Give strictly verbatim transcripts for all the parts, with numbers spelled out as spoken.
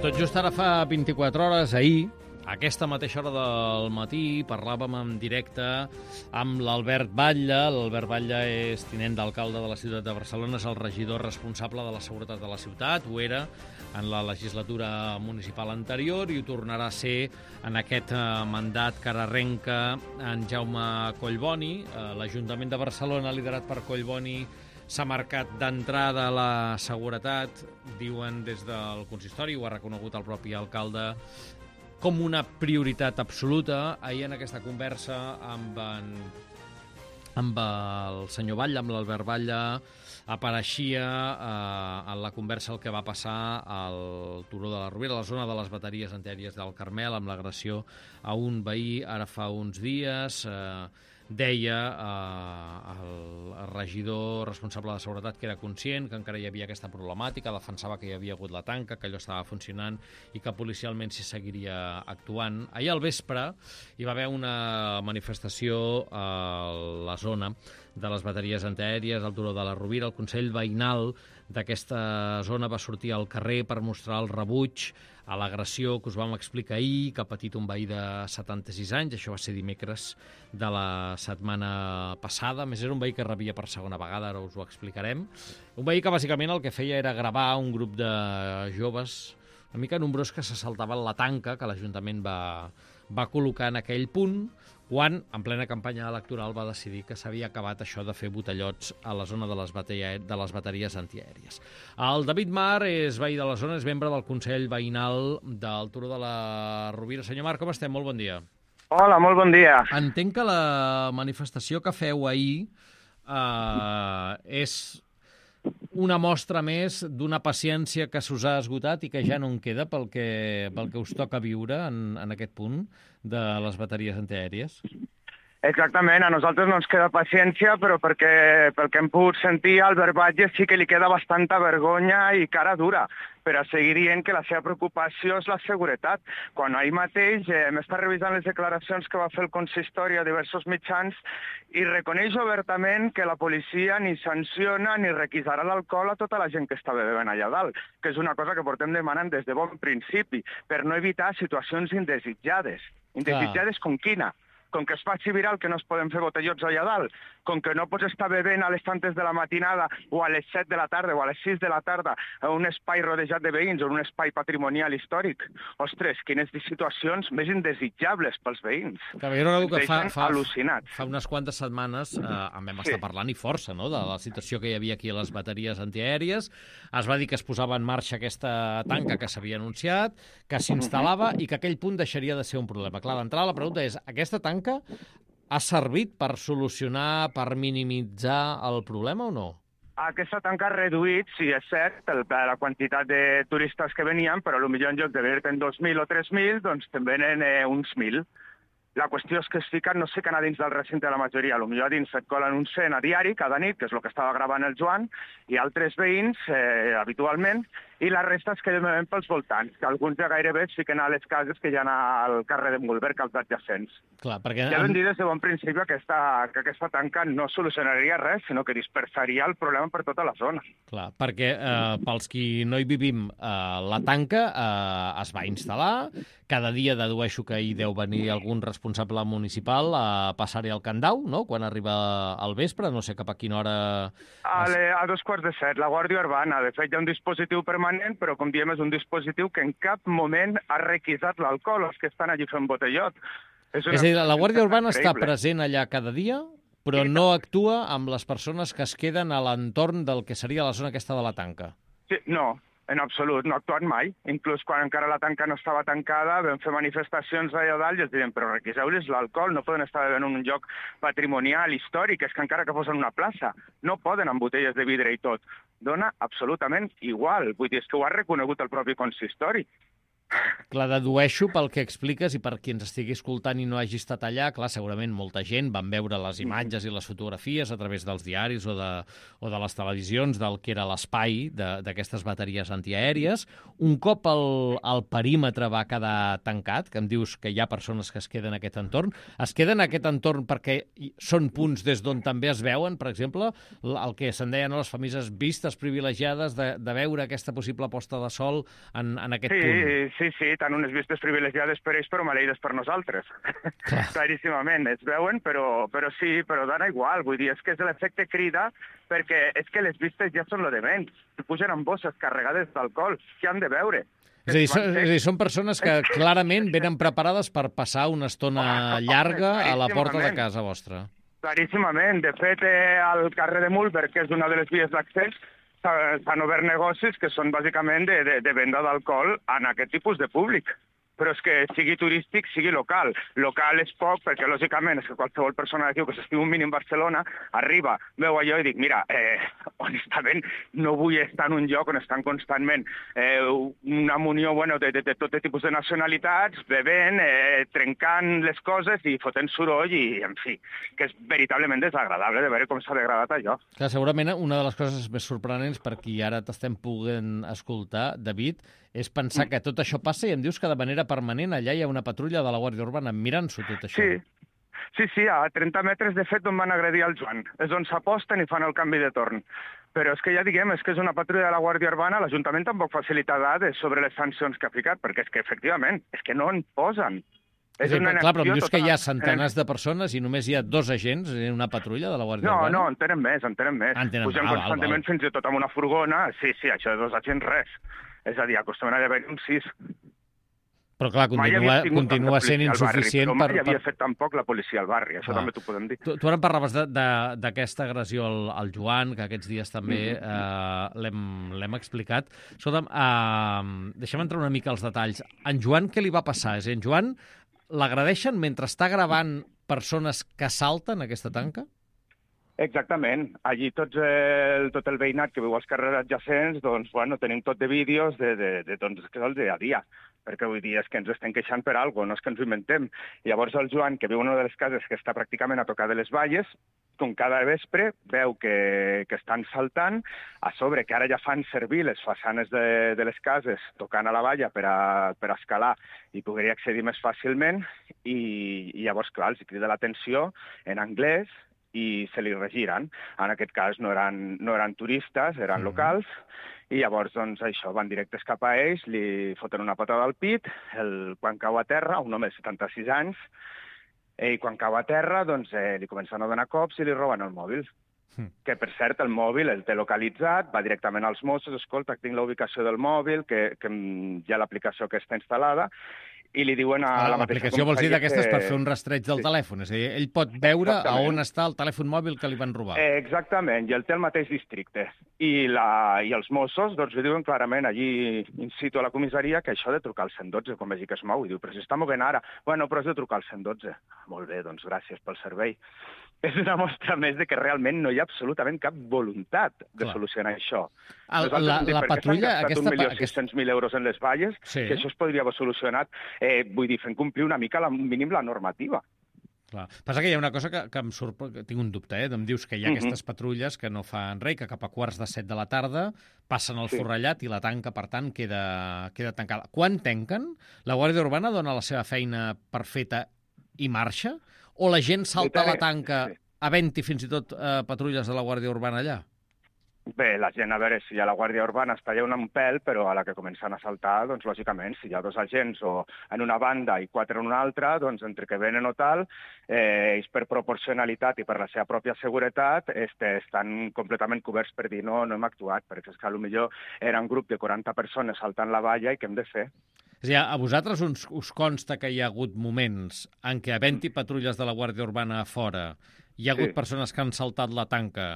Tot just ara fa vint-i-quatre hores, ahir, a aquesta mateixa hora del matí, parlàvem en directe amb l'Albert Batlle. L'Albert Batlle és tinent d'alcalde de la ciutat de Barcelona, és el regidor responsable de la seguretat de la ciutat, ho era en la legislatura municipal anterior i ho tornarà a ser en aquest mandat que ara arrenca en Jaume Collboni. L'Ajuntament de Barcelona, liderat per Collboni, s'ha marcat d'entrada la seguretat, diuen des del consistori, ho ha reconegut el propi alcalde, com una prioritat absoluta. Ahir en aquesta conversa amb, en, amb el senyor Batlle, amb l'Albert Batlle, apareixia eh, en la conversa el que va passar al Turó de la Rovira, a la zona de les bateries antiaèries del Carmel, amb l'agressió a un veí ara fa uns dies. Eh, deia eh, el regidor responsable de seguretat que era conscient que encara hi havia aquesta problemàtica, defensava que hi havia hagut la tanca, que allò estava funcionant i que policialment s'hi seguiria actuant. Ahir al vespre hi va haver una manifestació a la zona de les bateries antiaèries, al Turó de la Rovira. El Consell Veïnal d'aquesta zona va sortir al carrer per mostrar el rebuig a l'agressió que us vam explicar ahir, que ha patit un veí de setanta-sis anys. Això va ser dimecres de la setmana passada. A més, era un veí que rebia per segona vegada, ara us ho explicarem. Un veí que bàsicament el que feia era gravar un grup de joves una mica nombrós que se saltaven la tanca que l'Ajuntament va, va col·locar en aquell punt, quan, en plena campanya electoral, va decidir que s'havia acabat això de fer botellots a la zona de les, bateria, de les bateries antiaèries. El David Mar és veí de la zona, és membre del Consell Veïnal del Turó de la Rovira. Senyor Mar, com estem? Molt bon dia. Hola, molt bon dia. Entenc que la manifestació que feu ahir eh, és una mostra més d'una paciència que s'us ha esgotat i que ja no en queda pel que, pel que us toca viure en, en aquest punt de les bateries antiaèries? Exactament, a nosaltres no ens queda paciència, però perquè pel que hem pogut sentir, a Albert Batlle sí que li queda bastanta vergonya i cara dura per a seguir dient que la seva preocupació és la seguretat. Quan ahir mateix eh, m'està revisant les declaracions que va fer el consistori a diversos mitjans i reconeix obertament que la policia ni sanciona ni requisarà l'alcohol a tota la gent que està bevent allà dalt, que és una cosa que portem demanant des de bon principi, per no evitar situacions indesitjades. Indesitjades com quina? Com que es faci viral que no es poden fer botellots allà dalt, com que no pots estar bevent a les tantes de la matinada o a les set de la tarda o a les sis de la tarda a un espai rodejat de veïns o en un espai patrimonial històric. Ostres, quines situacions més indesitjables pels veïns. Que jo recordo que fa, fa, al·lucinats. fa unes quantes setmanes eh, en vam estar sí. parlant i força, no?, de la situació que hi havia aquí a les bateries antiaèries. Es va dir que es posava en marxa aquesta tanca que s'havia anunciat, que s'instal·lava i que aquell punt deixaria de ser un problema. Clar, d'entrada la pregunta és, aquesta tanca ha servit per solucionar, per minimitzar el problema o no? Aquesta tanca ha reduït, sí, és cert, el, la quantitat de turistes que venien, però potser en lloc de venir-te'n dos mil o tres mil, doncs te'n venen eh, uns mil. La qüestió és que es fiquen, no sé que anar dins del recinte de la majoria, potser a dins et colen un cent a diari cada nit, que és el que estava gravant el Joan, i altres veïns, eh, habitualment, i la resta es queden pels voltants, que alguns ja gairebé es fiquen a les cases que hi ha al carrer de Mulberg, als adjacents. Clar, perquè... Ja vam dir des de bon principi que aquesta, que aquesta tanca no solucionaria res, sinó que dispersaria el problema per tota la zona. Clar, perquè eh, pels qui no hi vivim, eh, la tanca eh, es va instal·lar, cada dia dedueixo que hi deu venir algun responsable municipal a passar-hi el candau, no?, quan arriba al vespre, no sé cap a quina hora... A, le, a dos quarts de set, la Guàrdia Urbana. De fet, hi ha un dispositiu permanent, però, com diem, és un dispositiu que en cap moment ha requisat l'alcohol als que estan allí fent botellot. És, és a dir, la Guàrdia Urbana està present allà cada dia, però no actua amb les persones que es queden a l'entorn del que seria la zona aquesta de la tanca. Sí, no, en absolut, no ha actuat mai. Inclús quan encara la tanca no estava tancada, vam fer manifestacions allà dalt i els diuen, però requiseu-los l'alcohol, no poden estar en un lloc patrimonial, històric, és que encara que fos en una plaça, no poden amb botelles de vidre i tot. Dona absolutament igual, vull dir, és que ho ha reconegut el propi consistori, Clar, dedueixo pel que expliques i per qui ens estigui escoltant i no hagi estat allà, clar, segurament molta gent van veure les imatges i les fotografies a través dels diaris o de, o de les televisions del que era l'espai d'aquestes bateries antiaèries. Un cop el, el perímetre va quedar tancat, que em dius que hi ha persones que es queden en aquest entorn, es queden en aquest entorn perquè són punts des d'on també es veuen, per exemple, el que se'n deien les famoses vistes privilegiades de, de veure aquesta possible posta de sol en, en aquest sí, punt. Sí, sí, tant unes vistes privilegiades per ells, però maleïdes per nosaltres. Claríssimament, es veuen, però, però sí, però dona igual. Vull dir, és que és l'efecte crida, perquè és que les vistes ja són lo de menys. Si pugen amb bosses carregades d'alcohol, què han de veure? És a, dir, són, és a dir, són persones que clarament venen preparades per passar una estona llarga a la porta de casa vostra. Claríssimament. De fet, al carrer de Mühlberg, que és una de les vies d'accés, s'han obert negocis que són bàsicament de, de, de venda d'alcohol en aquest tipus de públic. Però és que sigui turístic, sigui local. Local és poc, perquè lògicament és que qualsevol persona d'aquí que s'estiu un mínim Barcelona arriba, veu allò i dic, mira, eh, honestament no vull estar en un lloc on estan constantment eh, una munió bueno, de, de, de tot tipus de nacionalitats, bevent, eh, trencant les coses i fotent soroll i, en fi, que és veritablement desagradable de veure com s'ha degradat allò. Clar, segurament una de les coses més sorprenents per qui ara t'estem podent escoltar, David, és pensar que tot això passa i em dius que de manera permanent allà hi ha una patrulla de la Guàrdia Urbana mirant-s'ho tot això. Sí, sí, sí, a trenta metres de fet on van agredir el Joan. És on s'aposten i fan el canvi de torn. Però és que ja diguem, és que és una patrulla de la Guàrdia Urbana, l'Ajuntament tampoc facilita dades sobre les sancions que ha ficat, perquè és que efectivament, és que no en posen. És és una clar, però em dius total. Que hi ha centenars de persones i només hi ha dos agents en una patrulla de la Guàrdia no, Urbana? No, no, en tenen més, en tenen més. En tenen... Pugen ah, constantment val, val. Fins i tot amb una furgona. Sí, sí, això de dos agents, res. És a dir, acostumen a haver un sis. Però clar, continua, continua sent insuficient barri, per... Mai havia fet tampoc la policia al barri, això clar. També t'ho podem dir. Tu, tu ara em parlaves d'aquesta agressió al, al Joan, que aquests dies també mm-hmm. eh, l'hem explicat. Escolta'm, eh, deixa'm entrar una mica als detalls. En Joan què li va passar? És a dir, en Joan l'agredeixen mentre està gravant persones que salten aquesta tanca? Exactament. Allí tots el, tot el veïnat que viu als carrers adjacents, doncs, bueno, tenim tot de vídeos de, de, de, doncs, que és el dia a dia, perquè vull dir, és que ens estem queixant per alguna cosa, no és que ens ho inventem. Llavors el Joan, que viu en una de les cases que està pràcticament a tocar de les valles, com cada vespre veu que, que estan saltant, a sobre que ara ja fan servir les façanes de, de les cases tocant a la valla per a, per a escalar i poder accedir més fàcilment, i, i llavors, clar, els crida l'atenció en anglès, i se li regiren. En aquest cas no eren, no eren turistes, eren mm. locals, i llavors doncs, això van directes cap a ells, li foten una patada al pit, el, quan cau a terra, un home de setanta-sis anys, i quan cau a terra doncs, eh, li comencen a donar cops i li roben el mòbil. Mm. Que, per cert, el mòbil el té localitzat, va directament als Mossos, escolta, tinc la ubicació del mòbil, que, que hi ha l'aplicació que està instal·lada, i li diuen a ah, la mateixa l'aplicació vols dir d'aquestes que... per fer un rastreig del sí. telèfon, és a dir, ell pot veure a on està el telèfon mòbil que li van robar. Eh, exactament, i el té al mateix districte. I, la, i els Mossos doncs, li diuen clarament allí in situ a la comissaria que això de trucar al cent dotze, com vegi que es mou, i diu, però si està movent ara. Bueno, però has de trucar al cent dotze. Molt bé, doncs gràcies pel servei. És una mostra més de que realment no hi ha absolutament cap voluntat de Clar. Solucionar això. El, la, la patrulla... Aquesta... un milió sis-cents mil euros en les valles, sí. que això es podria haver solucionat, eh, vull dir, fent complir una mica, la, mínim, la normativa. Clar. Passa que hi ha una cosa que, que em surt, que tinc un dubte, eh? Em dius que hi ha uh-huh. aquestes patrulles que no fan res, que cap a quarts de set de la tarda passen el sí. forrellat i la tanca, per tant, queda, queda tancada. Quan tanquen, la Guàrdia Urbana dona la seva feina per feta i marxa? O la gent salta a la tanca sí. havent-hi fins i tot eh, patrulles de la Guàrdia Urbana allà? Bé, la gent, a veure, si a la Guàrdia Urbana està allà un pèl, però a la que comencen a saltar, doncs, lògicament, si hi ha dos agents o en una banda i quatre en una altra, doncs, entre que venen o tal, eh, ells per proporcionalitat i per la seva pròpia seguretat este, estan completament coberts per dir no, no hem actuat, perquè és que potser era un grup de quaranta persones saltant la valla i què hem de fer? És a dir, a vosaltres us, us consta que hi ha hagut moments en què, havent-hi patrulles de la Guàrdia Urbana a fora, hi ha hagut sí. persones que han saltat la tanca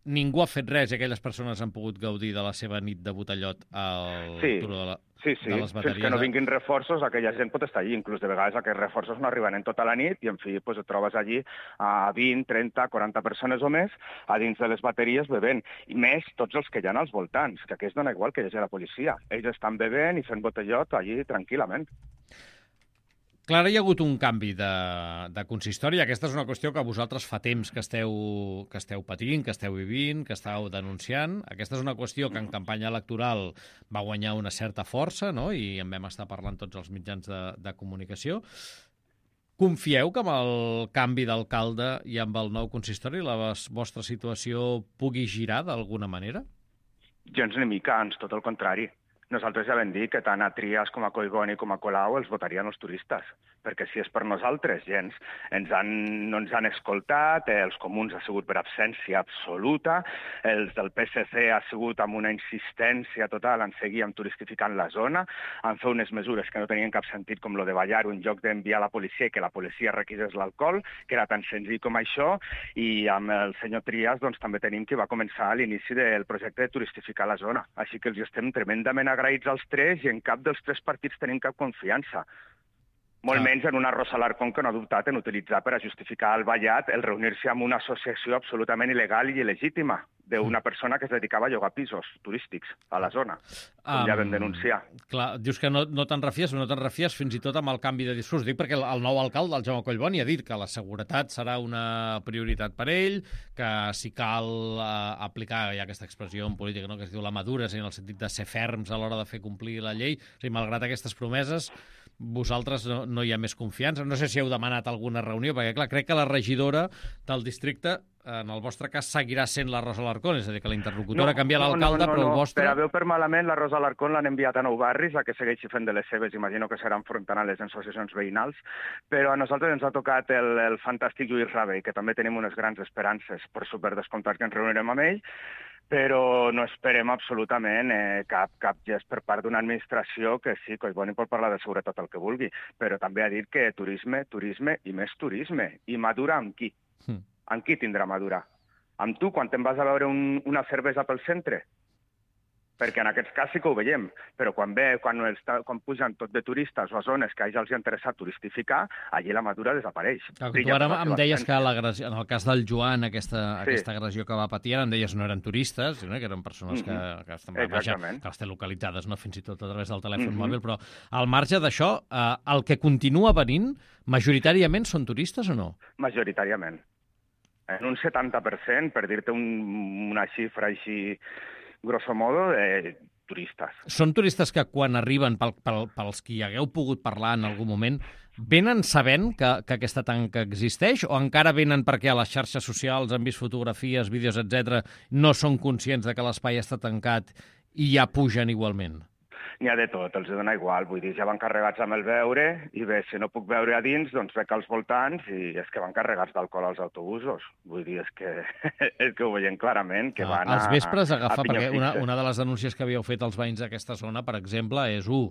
ningú ha fet res i aquelles persones han pogut gaudir de la seva nit de botellot al Sí. turó de, la, Sí, sí, de les bateries. fins que no vinguin reforços, aquella gent pot estar allí. Inclús de vegades aquests reforços no arriben en tota la nit i, en fi, pues, et trobes allí a vint, trenta, quaranta persones o més a dins de les bateries bevent. I més tots els que hi ha als voltants, que aquí es dona igual que hi hagi la policia. Ells estan bevent i fent botellot allí tranquil·lament. Clara, hi ha hagut un canvi de, de consistori. Aquesta és una qüestió que vosaltres fa temps que esteu, que esteu patint, que esteu vivint, que esteu denunciant. Aquesta és una qüestió que en campanya electoral va guanyar una certa força, no? I en vam estar parlant tots els mitjans de, de comunicació. Confieu que amb el canvi d'alcalde i amb el nou consistori la vostra situació pugui girar d'alguna manera? Gens ni mica, ans, tot el contrari. Nosaltres ja vam dir que tant a Trias com a Collboni com a Colau els votarien els turistes, perquè si és per nosaltres, gens. Ens han, no ens han escoltat, els comuns ha sigut per absència absoluta, els del P S C ha sigut amb una insistència total en seguir amb turistificant la zona, han fet unes mesures que no tenien cap sentit com lo de ballar en lloc d'enviar la policia i que la policia requisés l'alcohol, que era tan senzill com això, i amb el senyor Trias doncs, també tenim que va començar a l'inici del projecte de turistificar la zona. Així que els estem tremendament agraïts als tres i en cap dels tres partits tenim cap confiança. Molt ah. menys en una Rosa Alarcón que no ha dubtat en utilitzar per a justificar el ballat el reunir-se amb una associació absolutament il·legal i il·legítima d'una persona que es dedicava a llogar pisos turístics a la zona, com um, ja vam denunciar. Clar, dius que no, no te'n refies, no te'n refies fins i tot amb el canvi de discurs. Dic perquè el, el nou alcalde, el Jaume Collboni, ha dit que la seguretat serà una prioritat per ell, que si cal uh, aplicar, hi ha aquesta expressió en política, no?, que es diu la madura, en el sentit de ser ferms a l'hora de fer complir la llei. O sigui, malgrat aquestes promeses, vosaltres no, no hi ha més confiança. No sé si heu demanat alguna reunió, perquè clar, crec que la regidora del districte, en el vostre cas, seguirà sent la Rosa Alarcón, és a dir, que la interlocutora no, canvia no, l'alcalde, no, no, però el no. vostre... Per a veu per malament, la Rosa Alarcón l'han enviat a Nou Barris, a que segueixi fent de les seves, imagino que serà enfrontant a les associacions veïnals, però a nosaltres ens ha tocat el, el fantàstic Lluís Rabell, que també tenim unes grans esperances, per superdescomptat que ens reunirem amb ell, però no esperem absolutament eh, cap, cap gest per part d'una administració que sí, Collboni pot parlar de seguretat el que vulgui, però també ha dit que turisme, turisme i més turisme. I madura amb qui? Mm. Amb qui tindrà madura? Amb tu, quan te'n vas a veure un, una cervesa pel centre? Perquè en aquest cas sí que ho veiem, però quan ve, quan, els, quan pugen tot de turistes o a zones que a ells els ha interessat turistificar, allí la madura desapareix. Clar, tu ara em deies que en el cas del Joan, aquesta, sí. aquesta agressió que va patir, em deies no eren turistes, no? Que eren persones que, mm-hmm. que, estan, vaja, que les té localitzades, no? Fins i tot a través del telèfon mm-hmm. mòbil, però al marge d'això, eh, el que continua venint, majoritàriament són turistes o no? Majoritàriament. En un setanta per cent, per dir-te un, una xifra així grosso modo, de turistes. Són turistes que quan arriben, pel, pel, pels qui hagueu pogut parlar en algun moment, venen sabent que, que aquesta tanca existeix o encara venen perquè a les xarxes socials han vist fotografies, vídeos, etcètera, no són conscients de que l'espai està tancat i ja pugen igualment? N'hi ha de tot, els dona igual, vull dir, ja van carregats amb el beure, i bé, si no puc beure a dins, doncs bec als voltants, i és que van carregats d'alcohol als autobusos. Vull dir, és que, és que ho veiem clarament, que van ah, als vespres a, agafar, a perquè una, una de les denúncies que havíeu fet als veïns d'aquesta zona, per exemple, és, u,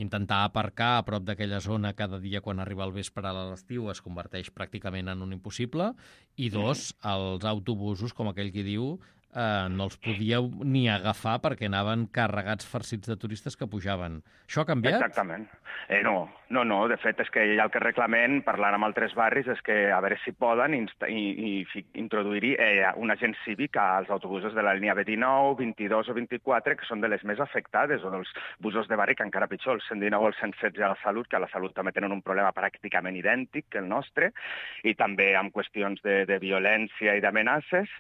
intentar aparcar a prop d'aquella zona cada dia quan arriba el vespre a l'estiu es converteix pràcticament en un impossible, i dos, els autobusos, com aquell qui diu, Uh, no els podíeu ni agafar perquè anaven carregats farcits de turistes que pujaven. Això ha canviat? Exactament. Eh, no, no, no. De fet, és que ja el que reclamem, parlant amb altres barris, és que a veure si poden inst i, i introduir eh, un agent cívic als autobusos de la línia B dinou, vint-i-dos o vint-i-quatre, que són de les més afectades, o dels busos de barri, que encara pitjor, el cent dinou o el cent setze a la Salut, que a la Salut també tenen un problema pràcticament idèntic que el nostre, i també amb qüestions de, de violència i d'amenaces.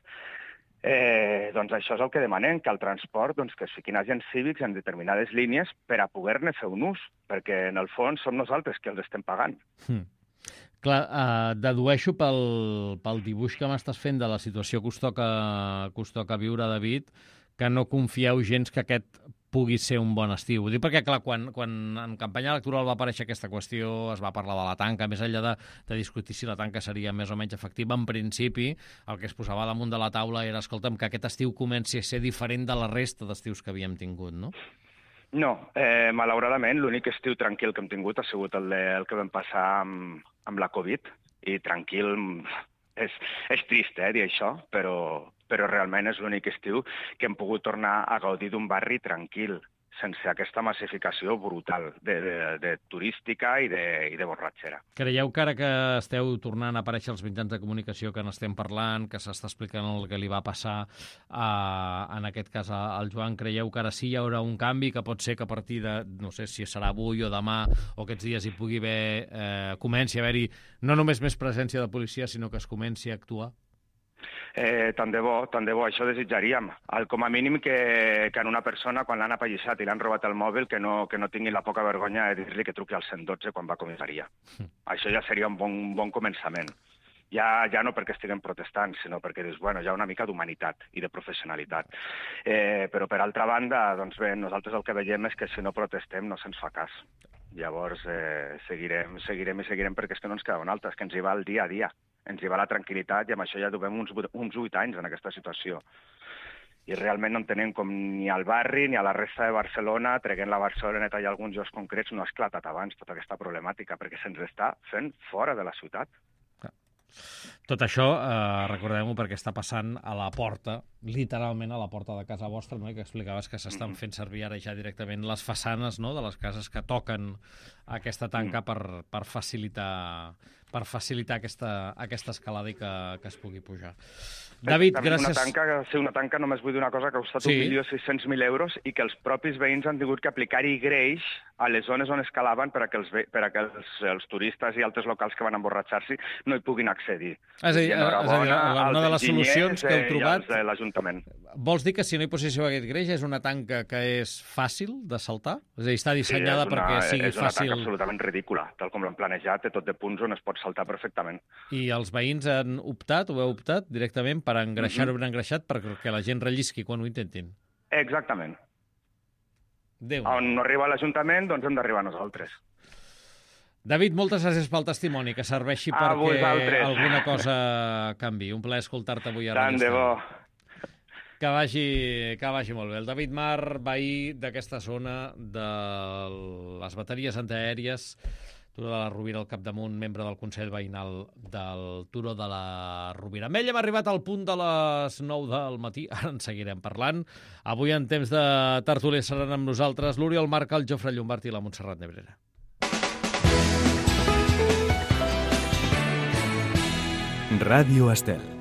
Eh, doncs això és el que demanem, que el transport doncs, que es fiquin agents cívics en determinades línies per a poder-ne fer un ús, perquè en el fons som nosaltres que els estem pagant. Hmm. Clar, eh, dedueixo pel, pel dibuix que m'estàs fent de la situació que us toca, que us toca viure, David, que no confieu gens que aquest pugui ser un bon estiu. Ho dic perquè, clar, quan, quan en campanya electoral va aparèixer aquesta qüestió, es va parlar de la tanca, més enllà de, de discutir si la tanca seria més o menys efectiva, en principi el que es posava damunt de la taula era, escolta'm, que aquest estiu comenci a ser diferent de la resta d'estius que havíem tingut, no? No, eh, malauradament, l'únic estiu tranquil que hem tingut ha sigut el, de, el que vam passar amb, amb la Covid, i tranquil, és, és trist, eh, dir això, però, però realment és l'únic estiu que hem pogut tornar a gaudir d'un barri tranquil, sense aquesta massificació brutal de, de, de turística i de, i de borratxera. Creieu que ara que esteu tornant a aparèixer als mitjans de comunicació que n'estem parlant, que s'està explicant el que li va passar a, en aquest cas al Joan, creieu que ara sí hi haurà un canvi, que pot ser que a partir de, no sé si serà avui o demà o aquests dies hi pugui haver, eh, comenci a haver-hi no només més presència de policia, sinó que es comenci a actuar? Eh, tant de bo, tant de bo, això desitjaríem. El, com a mínim que, que en una persona, quan l'han apallissat i l'han robat el mòbil, que no, que no tingui la poca vergonya de dir-li que truqui al cent dotze quan va a comissaria. Mm. Això ja seria un bon, un bon començament. Ja, ja no perquè estiguem protestant, sinó perquè dius, bueno, hi ha una mica d'humanitat i de professionalitat. Eh, però, per altra banda, doncs bé, nosaltres el que veiem és que si no protestem no se'ns fa cas. Llavors, eh, seguirem, seguirem i seguirem perquè és que no ens queda una altra, és que ens hi va el dia a dia. Ens hi va la tranquil·litat i amb això ja duem uns, uns vuit anys en aquesta situació. I realment no entenem com ni al barri ni a la resta de Barcelona, treguent la Barceloneta i alguns llocs concrets, no ha esclatat abans tota aquesta problemàtica, perquè se'ns està fent fora de la ciutat. Tot això, eh, recordem-ho, perquè està passant a la porta, literalment a la porta de casa vostra, no? I que explicaves que s'estan fent servir ara ja directament les façanes, no?, de les cases que toquen aquesta tanca per, per facilitar, per facilitar aquesta, aquesta escalada i que, que es pugui pujar. David, gràcies. Una tanca, sí, una tanca, només vull dir una cosa, que ha costat sí. un milió sis-cents mil euros i que els propis veïns han tingut que aplicar-hi greix a les zones on escalaven per a que els, per a que els, els turistes i altres locals que van emborratxar-se no hi puguin accedir. És a dir, és a dir una de les solucions que heu trobat... de l'Ajuntament. Vols dir que si no hi posséssiu aquest greix és una tanca que és fàcil de saltar? És a dir, està dissenyada sí, una, perquè sigui és una fàcil... tanca absolutament ridícula, tal com l'han planejat, té tot de punts on es pot saltar perfectament. I els veïns han optat, ho heu optat directament per engreixar-ho ben engreixat perquè la gent rellisqui quan ho intentin? Exactament. Déu. On no arriba l'Ajuntament, doncs hem d'arribar nosaltres. David, moltes gràcies pel testimoni, que serveixi a perquè vosaltres. Alguna cosa canvi. Un plaer escoltar-te avui a Tant de bo. Que vagi, que vagi molt bé. El David Mar, veí d'aquesta zona de les bateries antiaèries, Turó de la Rovira al capdamunt, membre del Consell Veïnal del Turó de la Rovira. Amb ell hem arribat al punt de les nou del matí, ara en seguirem parlant. Avui en temps de tertúlia seran amb nosaltres l'Oriol Marca, el Jofre Llombart i la Montserrat Nebrera. Ràdio Estel.